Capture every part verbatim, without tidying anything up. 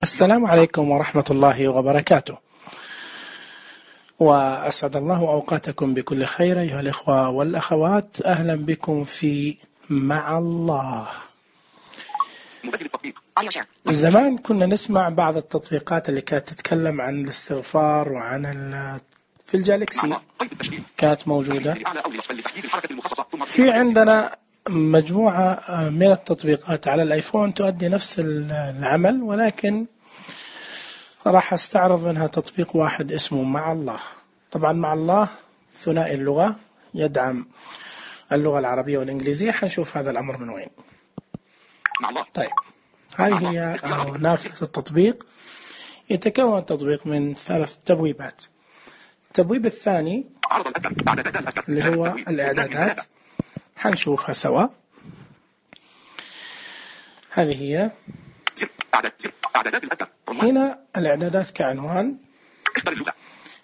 السلام عليكم ورحمة الله وبركاته، وأسعد الله أوقاتكم بكل خير أيها الإخوة والأخوات. أهلا بكم في مع الله. زمان كنا نسمع بعض التطبيقات اللي كانت تتكلم عن الاستغفار وعن ال في الجالكسي كانت موجودة. في عندنا مجموعة من التطبيقات على الآيفون تؤدي نفس العمل، ولكن راح استعرض منها تطبيق واحد اسمه مع الله. طبعا مع الله ثنائي اللغة، يدعم اللغة العربية والإنجليزية. حنشوف هذا الأمر من وين. طيب، هذه هي نافذة التطبيق. يتكون التطبيق من ثلاث تبويبات. التبويب الثاني اللي هو الإعدادات، حنشوفها سوا. هذه هي هنا الإعدادات كعنوان.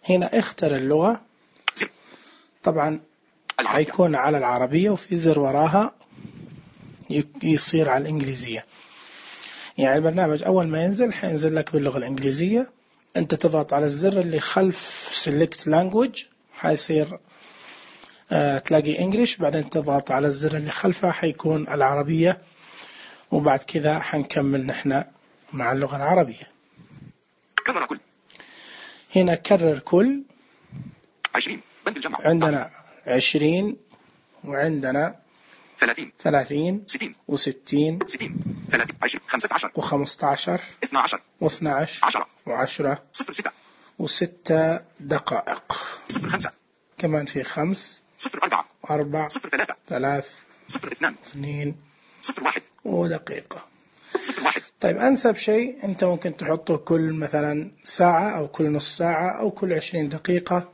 هنا اختر اللغة، طبعا حيكون على العربية، وفي زر وراها يصير على الإنجليزية. يعني البرنامج أول ما ينزل حينزل لك باللغة الإنجليزية. أنت تضغط على الزر اللي خلف Select Language، حيصير آه تلاقي إنجليش، بعدين تضغط على الزر اللي خلفه حيكون العربية، وبعد كذا حنكمل نحن مع اللغة العربية. هنا كرر كل عندنا عشرين، وعندنا ثلاثين ثلاثين وستين وخمسة عشر واثنى عشر وعشرة وستة دقائق. كمان في خمس أربع ثلاث اثنين ودقيقة. طيب، أنسب شيء أنت ممكن تحطه كل مثلا ساعة أو كل نص ساعة أو كل عشرين دقيقة،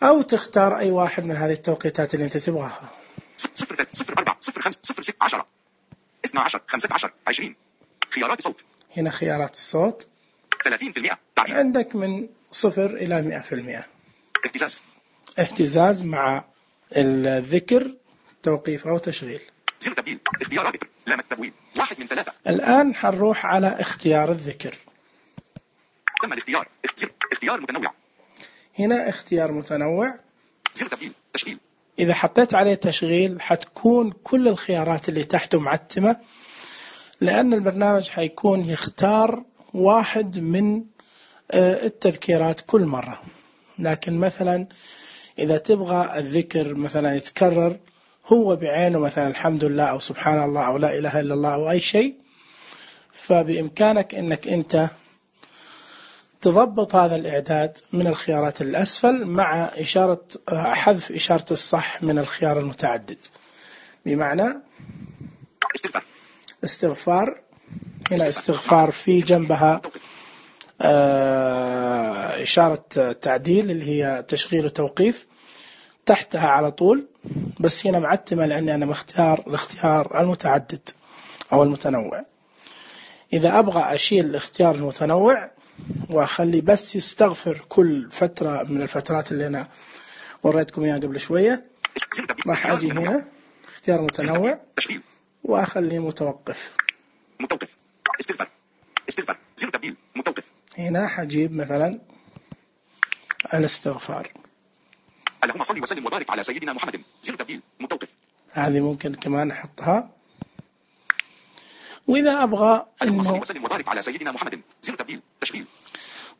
أو تختار أي واحد من هذه التوقيتات اللي أنت تبغاها. صفر صفر أربعة صفر خمسة صفر ستة عشرة اثنى عشر خمسة عشر عشرين. خيارات الصوت. هنا خيارات الصوت ثلاثين بالمئة. تعليم. عندك من صفر إلى مئة في المئة. اهتزاز. اهتزاز مع الذكر، توقيف أو تشغيل. زر تبديل. اختيار ذكر. لام التبويب. واحد من ثلاثة. الآن حنروح على اختيار الذكر. تم الاختيار. اختيار متنوع. هنا اختيار متنوع. زر تبديل. تشغيل. إذا حطيت عليه تشغيل حتكون كل الخيارات اللي تحته معتمة، لأن البرنامج حيكون يختار واحد من التذكيرات كل مرة. لكن مثلا إذا تبغى الذكر مثلا يتكرر هو بعينه، مثلا الحمد لله أو سبحان الله أو لا إله إلا الله أو أي شيء، فبإمكانك أنك أنت تضبط هذا الإعداد من الخيارات الأسفل مع إشارة حذف إشارة الصح من الخيار المتعدد. بمعنى استغفار. استغفار. هنا استغفار في جنبها إشارة تعديل اللي هي تشغيل وتوقيف تحتها على طول، بس هنا معتمة لأني أنا مختار الاختيار المتعدد أو المتنوع. إذا أبغى أشيل الاختيار المتنوع وأخلي بس يستغفر كل فترة من الفترات اللي أنا وريتكم إياها قبل شوية، راح أجي هنا اختيار متنوع وأخليه متوقف. متوقف. استغفر. استغفر. زر تبديل. متوقف. هنا حجيب مثلا الاستغفار. اللهم صل وسلم وبارك على سيدنا محمد. زر تبديل. متوقف. هذه ممكن كمان أحطها. وإذا أبغى اللهم صل وسلم وبارك على سيدنا محمد. زر تبديل. تشغيل.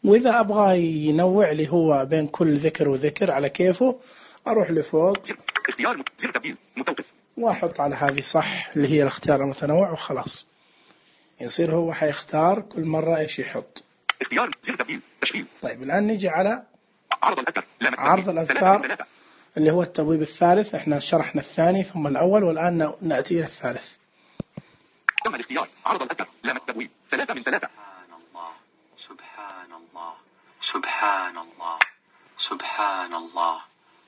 وإذا أبغى ينوع لي هو بين كل ذكر وذكر على كيفه، أروح لفوق. زر. اختيار. زر تبديل. متوقف. وأحط على هذه صح اللي هي الاختيار المتنوع وخلاص. يصير هو حيختار كل مرة إيش يحط. اختيار. زر تبديل. تشغيل. طيب، الآن نجي على عرض الأذكار. عرض الأذكار اللي هو التبويب الثالث. احنا شرحنا الثاني ثم الأول، والآن نأتي إلى الثالث. تم الاختيار. عرض الأذكار. لام التبويب. ثلاثة من ثلاثة. سبحان الله سبحان الله سبحان الله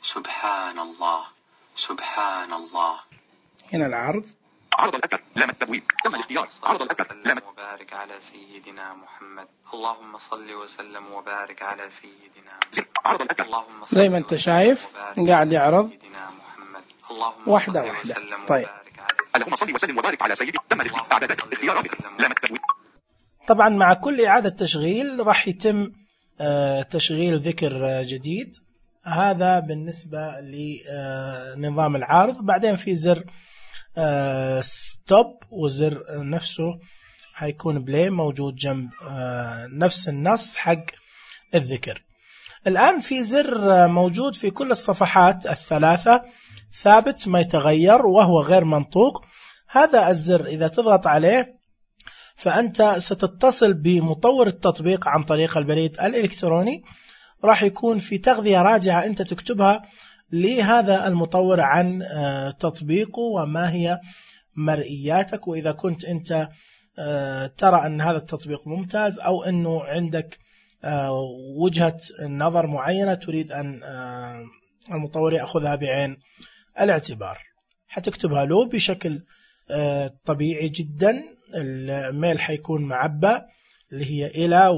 سبحان الله سبحان الله. هنا العرض. عرض الأذكار. لام التبويب. تم الاختيار. عرض الأذكار. لام وبارك على سيدنا محمد. اللهم صل وسلم وبارك على سيدنا زر. عرض الأذكار. اللهم زي ما انت شايف قاعد يعرض واحدة واحدة. طيب، اللهم صل وسلم وبارك على سيدنا. تم الاختيار. اعدادات. اختيارات. لام التبويب. طبعا مع كل إعادة تشغيل راح يتم تشغيل ذكر جديد. هذا بالنسبة لنظام العارض. بعدين في زر ستوب وزر نفسه هيكون بلاي موجود جنب نفس النص حق الذكر. الآن في زر موجود في كل الصفحات الثلاثة ثابت ما يتغير وهو غير منطوق. هذا الزر إذا تضغط عليه فأنت ستتصل بمطور التطبيق عن طريق البريد الإلكتروني. راح يكون في تغذية راجعة أنت تكتبها لهذا المطور عن تطبيقه وما هي مرئياتك، وإذا كنت أنت ترى أن هذا التطبيق ممتاز أو أنه عندك وجهة نظر معينة تريد أن المطور يأخذها بعين الاعتبار، حتكتبها له بشكل طبيعي جدا. الميل حيكون معبأ اللي هي إلى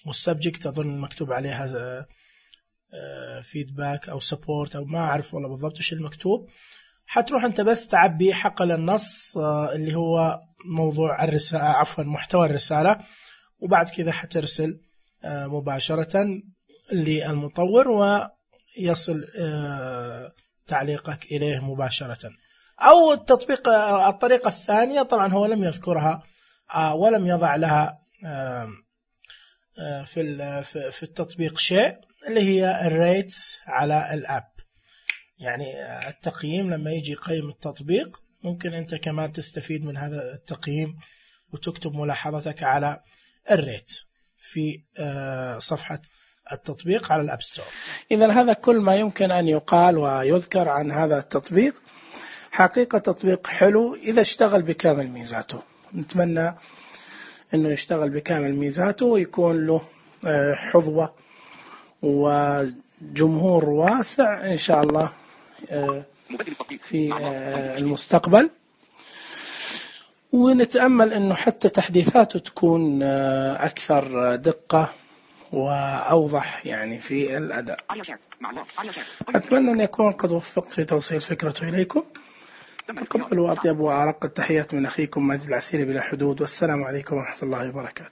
والسبجكت أظن مكتوب عليها فيدباك أو سبورت أو ما أعرف والله بالضبط إيش المكتوب. حتروح أنت بس تعبي حقل النص اللي هو موضوع الرسالة عفوا محتوى الرسالة، وبعد كذا حترسل مباشرة للمطور ويصل تعليقك إليه مباشرة. أو التطبيق الطريقة الثانية طبعا هو لم يذكرها ولم يضع لها في في التطبيق شيء، اللي هي الريت على الأب، يعني التقييم لما يجي يقيم التطبيق ممكن أنت كمان تستفيد من هذا التقييم وتكتب ملاحظتك على الريت في صفحة التطبيق على الأب ستور. إذا هذا كل ما يمكن أن يقال ويذكر عن هذا التطبيق. حقيقة تطبيق حلو إذا اشتغل بكامل ميزاته. نتمنى أنه يشتغل بكامل ميزاته ويكون له حظوة وجمهور واسع إن شاء الله في المستقبل، ونتأمل أنه حتى تحديثاته تكون أكثر دقة وأوضح يعني في الأداء. أتمنى أن يكون قد وفقت في توصيل فكرته إليكم. تقبلوا أطيب وأرق التحيات من أخيكم ماجد العسيري بلا حدود، والسلام عليكم ورحمة الله وبركاته.